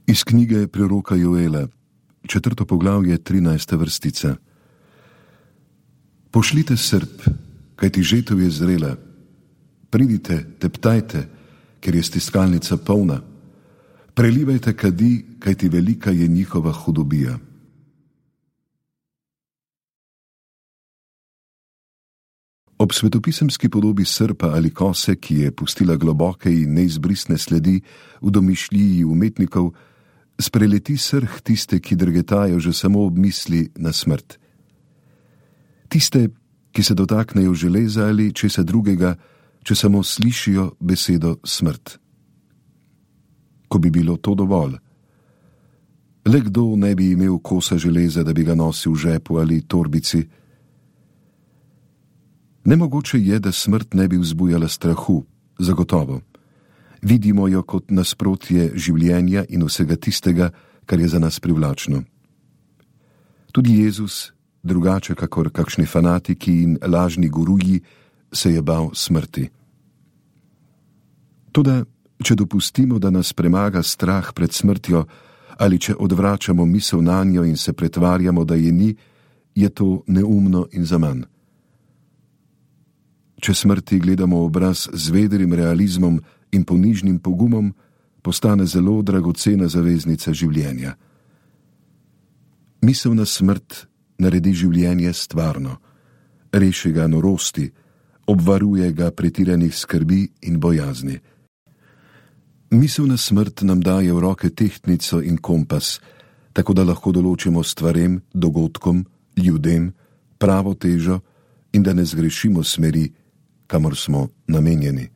Iz knjige preroka Joela, 4. poglavje, 13. vrstica. Pošljite srp, kajti žetev je zrela. Pridite, teptajte, ker je stiskalnica polna. Prelivajte kadi, kajti velika je njihova hudobija. Ob svetopisemski podobi srpa ali kose, ki je pustila globoke in neizbrisne sledi v domišljiji umetnikov, spreleti srh tiste, ki drgetajo že samo ob misli na smrt. Tiste, ki se dotaknejo železa ali česa drugega, če samo slišijo besedo smrt. Ko bi bilo to dovolj. Le kdo ne bi imel kosa železa, da bi ga nosil v žepu ali torbici? Nemogoče je, da smrt ne bi vzbujala strahu, zagotovo. Vidimo jo kot nasprotje življenja in vsega tistega, kar je za nas privlačno. Tudi Jezus, drugače kakor kakšni fanatiki in lažni guruji, se je bal smrti. Toda, če dopustimo, da nas premaga strah pred smrtjo, ali če odvračamo misel nanjo in se pretvarjamo, da je ni, je to neumno in zaman. Če smrti gledamo obraz z vedrim realizmom in ponižnim pogumom, postane zelo dragocena zaveznica življenja. Misel na smrt naredi življenje stvarno, reši ga norosti, obvaruje ga pretiranih skrbi in bojazni. Misel na smrt nam daje v roke tehtnico in kompas, tako da lahko določimo stvarem, dogodkom, ljudem pravo težo in da ne zgrešimo smeri, kamor smo namenjeni.